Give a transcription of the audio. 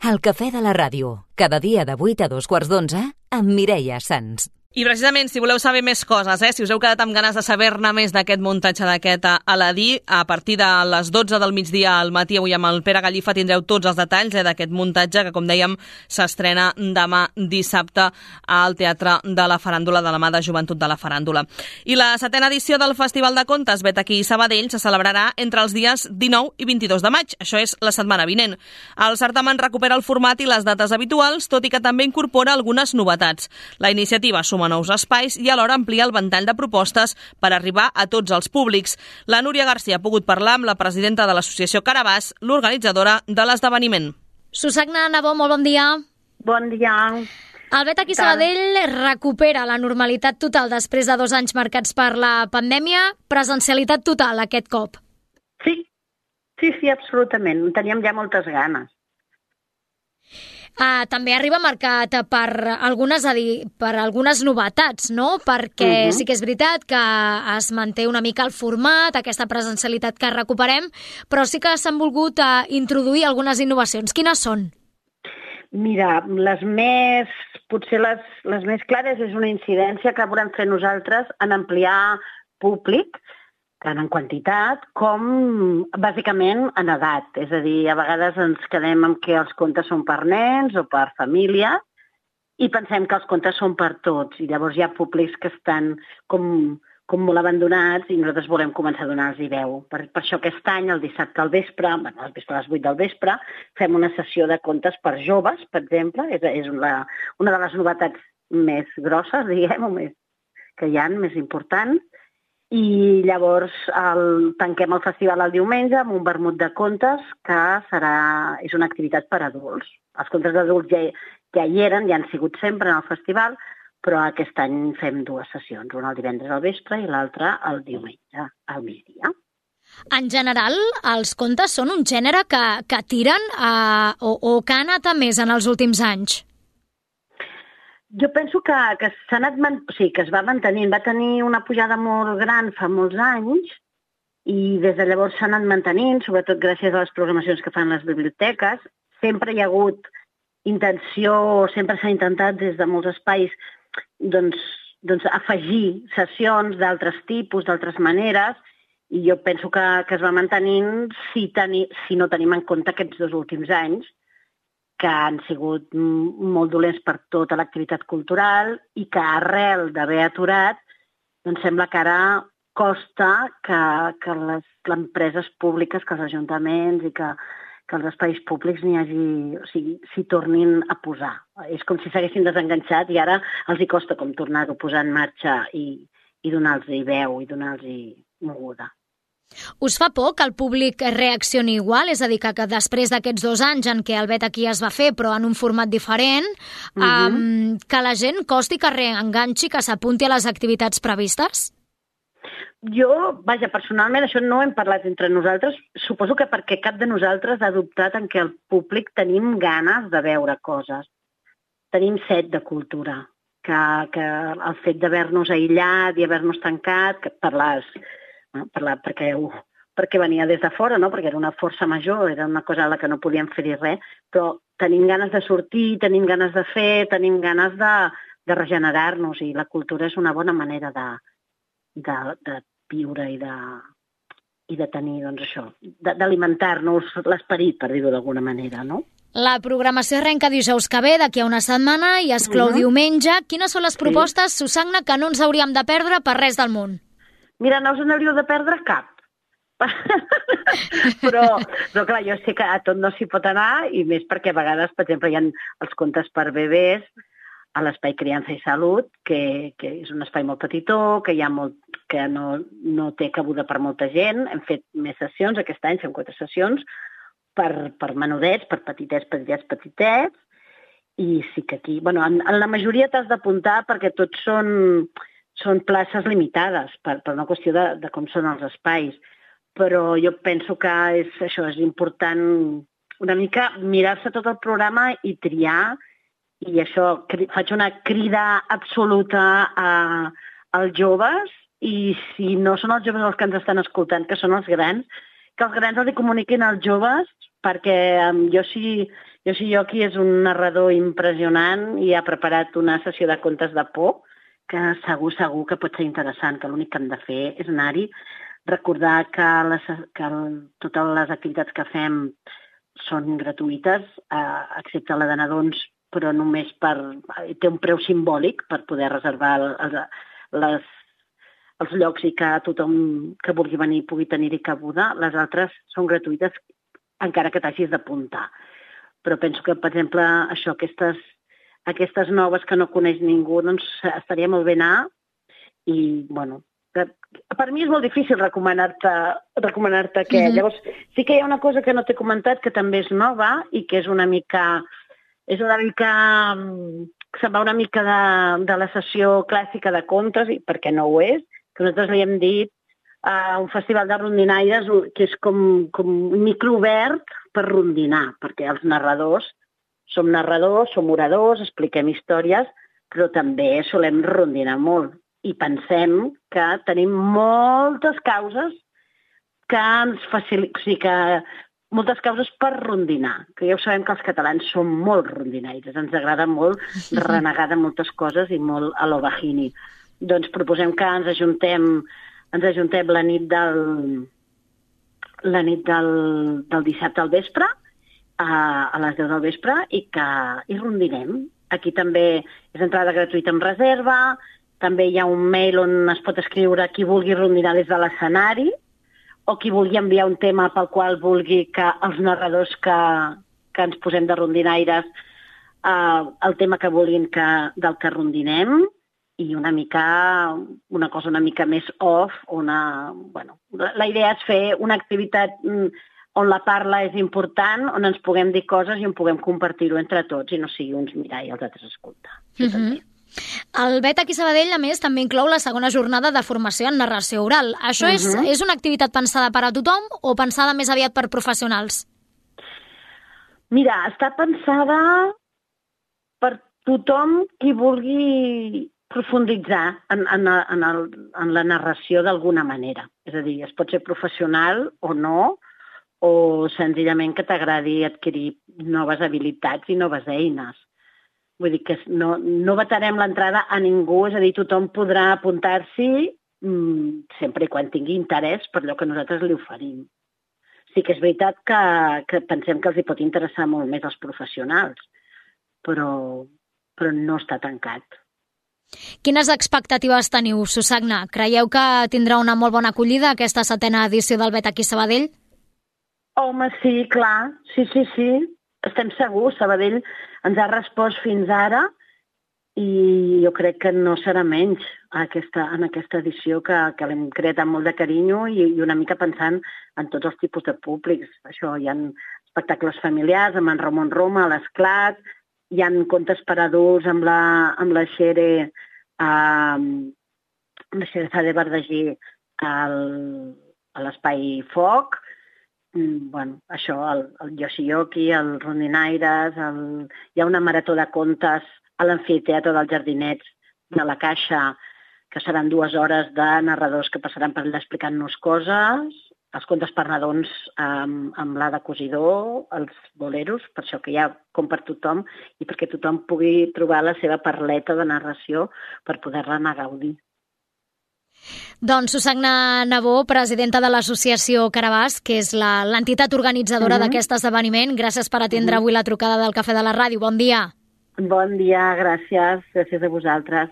El cafè de la ràdio, cada dia de 8 a 2:15 amb Mireia Sans. I precisament, si voleu saber més coses, si us heu quedat amb ganes de saber-ne més d'aquest muntatge d'aquest Aladí, a partir de les 12 del migdia al matí, avui amb el Pere Gallifa, tindreu tots els detalls d'aquest muntatge que, com dèiem, s'estrena demà dissabte al Teatre de la Faràndula, de la mà de Joventut de la Faràndula. I la 7a edició del Festival de Contes Vet aquí Sabadell se celebrarà entre els dies 19 i 22 de maig. Això és la setmana vinent. El certamen recupera el format i les dates habituals, tot i que també incorpora algunes novetats. La iniciativa suma nous espais i alhora amplia el ventall de propostes per arribar a tots els públics. La Núria García ha pogut parlar amb la presidenta de l'associació Carabàs, l'organitzadora de l'esdeveniment. Susagna Nabó, molt bon dia. Bon dia. El Vet aquí Sabadell recupera la normalitat total després de 2 anys marcats per la pandèmia. Presencialitat total aquest cop. Sí, absolutament. En teníem ja moltes ganes. També arriba marcat per algunes novetats, no? Perquè sí que és veritat que es manté una mica el format, aquesta presencialitat que recuperem, però sí que s'han volgut introduir algunes innovacions. Quines són? Mira, potser les més clares és una incidència que volem fer nosaltres en ampliar públic, tant en quantitat com, bàsicament, en edat. És a dir, a vegades ens quedem amb que els contes són per nens o per família i pensem que els contes són per tots. I llavors hi ha públics que estan com molt abandonats i nosaltres volem començar a donar-los veu. Per això aquest any, el dissabte al vespre, a les 8 del vespre, fem una sessió de contes per joves, per exemple. És una de les novetats més grosses, diguem, o més que hi ha, més importants. I llavors tanquem el festival el diumenge amb un vermut de contes que és una activitat per a adults. Els contes d'adults ja hi eren, ja han sigut sempre en el festival, però aquest any fem 2 sessions, una el divendres al vespre i l'altra el diumenge al migdia. En general, els contes són un gènere que tiren o que ha anat a més en els últims anys? Jo penso que es va mantenint. Va tenir una pujada molt gran fa molts anys i des de llavors s'ha anat mantenint, sobretot gràcies a les programacions que fan les biblioteques. Sempre hi ha hagut intenció, sempre s'ha intentat des de molts espais afegir sessions d'altres tipus, d'altres maneres, i jo penso que es va mantenint si no tenim en compte aquests 2 últims anys, que han sigut molt dolents per tota l'activitat cultural i que arrel d'haver aturat, doncs sembla que ara costa que les empreses públiques, que els ajuntaments i que els espais públics s'hi tornin a posar. És com si s'haguessin desenganxat i ara els hi costa com tornar-ho a posar en marxa i donar-los veu i donar-los moguda. Us fa por que el públic reaccioni igual? És a dir, que després d'aquests 2 anys en què el Vet aquí es va fer, però en un format diferent, que la gent costi que reenganxi, que s'apunti a les activitats previstes? Jo, personalment, això no hem parlat entre nosaltres. Suposo que perquè cap de nosaltres ha dubtat en que el públic tenim ganes de veure coses. Tenim set de cultura. Que el fet d'haver-nos aïllat i haver-nos tancat, perquè venia des de fora, no? Perquè era una força major, era una cosa a la que no podíem fer-hi res, però tenim ganes de sortir, tenim ganes de fer, tenim ganes de regenerar-nos i la cultura és una bona manera de viure i de tenir, doncs això, d'alimentar-nos l'esperit, per dir-ho d'alguna manera, no? La programació arrenca dijous que ve, d'aquí a una setmana, i es clou diumenge. Quines són les propostes, Susagna, que no ens hauríem de perdre per res del món? Mira, no us n'hauríeu de perdre cap. però clar, jo sé que a tot no s'hi pot anar, i més perquè a vegades, per exemple, hi ha els contes per bebès a l'Espai Criança i Salut, que és un espai molt petitó, que no té cabuda per molta gent. Hem fet més sessions, aquest any fem 4 sessions, per menudets, per petitets, i sí que aquí... en la majoria t'has d'apuntar perquè tots són places limitades per una qüestió de com són els espais. Però jo penso que és important una mica mirar-se tot el programa i triar, i això, faig una crida absoluta als joves, i si no són els joves els que ens estan escoltant, que són els grans, que els grans els comuniquin als joves, perquè jo si Yoshioki és un narrador impressionant i ha preparat una sessió de contes de por que segur que pot ser interessant, que l'únic que hem de fer és anar-hi, recordar que totes les activitats que fem són gratuïtes, excepte la de nadons, però només té un preu simbòlic per poder reservar els llocs i que tothom que vulgui venir pugui tenir-hi cabuda. Les altres són gratuïtes encara que t'hagis d'apuntar. Però penso que, per exemple, aquestes noves que no coneix ningú, doncs estaria molt bé anar i, bueno, per mi és molt difícil recomanar-te què. Llavors, sí que hi ha una cosa que no t'he comentat que també és nova i que és una mica se'n va una mica de la sessió clàssica de contes, i perquè no ho és, que nosaltres li hem dit un festival de rondinaires que és com un microobert per rondinar, perquè els narradors som oradors, expliquem històries, però també solem rondinar molt. I pensem que tenim moltes causes que ens faciliten, o sigui que moltes causes per rondinar, que ja ho sabem que els catalans som molt rondinaires, ens agrada molt renegar de moltes coses i molt a lo bajini. Doncs proposem que ens ajuntem la nit del dissabte al vespre, a les 10 del vespre, i rondinem. Aquí també és entrada gratuïta amb reserva, també hi ha un mail on es pot escriure qui vulgui rondinar des de l'escenari, o qui vulgui enviar un tema pel qual vulgui que els narradors que ens posem de rondinaires el tema que vulguin del que rondinem, i una cosa una mica més off, la idea és fer una activitat on la parla és important, on ens puguem dir coses i on puguem compartir-ho entre tots i no sigui uns mirar i els altres escoltar. El Bet aquí a Sabadell, a més, també inclou la segona jornada de formació en narració oral. Això és una activitat pensada per a tothom o pensada més aviat per professionals? Mira, està pensada per tothom qui vulgui profunditzar en la narració d'alguna manera. És a dir, es pot ser professional o no, o senzillament que t'agradi adquirir noves habilitats i noves eines. Vull dir que no vetarem l'entrada a ningú, és a dir, tothom podrà apuntar-s'hi sempre i quan tingui interès per allò que nosaltres li oferim. Sí que és veritat que pensem que els hi pot interessar molt més als professionals, però no està tancat. Quines expectatives teniu, Susagna? Creieu que tindrà una molt bona acollida aquesta 7ª edició del Bet aquí a Sabadell? Home, sí, clar. Sí. Estem segurs. Sabadell ens ha respost fins ara i jo crec que no serà menys en aquesta edició que l'hem creat amb molt de carinyo i una mica pensant en tots els tipus de públics. Això, hi ha espectacles familiars amb en Ramon Roma a l'Esclat, hi ha contes per adults amb la Xere Sade Verdagí a l'Espai Foc. Això, el Yoshioki, el Rondinaires, hi ha una marató de contes a l'amfiteatre dels Jardinets de la Caixa, que seran 2 hores de narradors que passaran per allà explicant-nos coses, els contes per nadons amb l'Ada Cosidor, els boleros, per això que hi ha com per tothom i perquè tothom pugui trobar la seva parleta de narració per poder-la anar a gaudir. Doncs Susagna Nabó, presidenta de l'associació Carabàs, que és l'entitat organitzadora d'aquest esdeveniment. Gràcies per atendre avui la trucada del Cafè de la Ràdio. Bon dia. Bon dia, gràcies. Gràcies a vosaltres.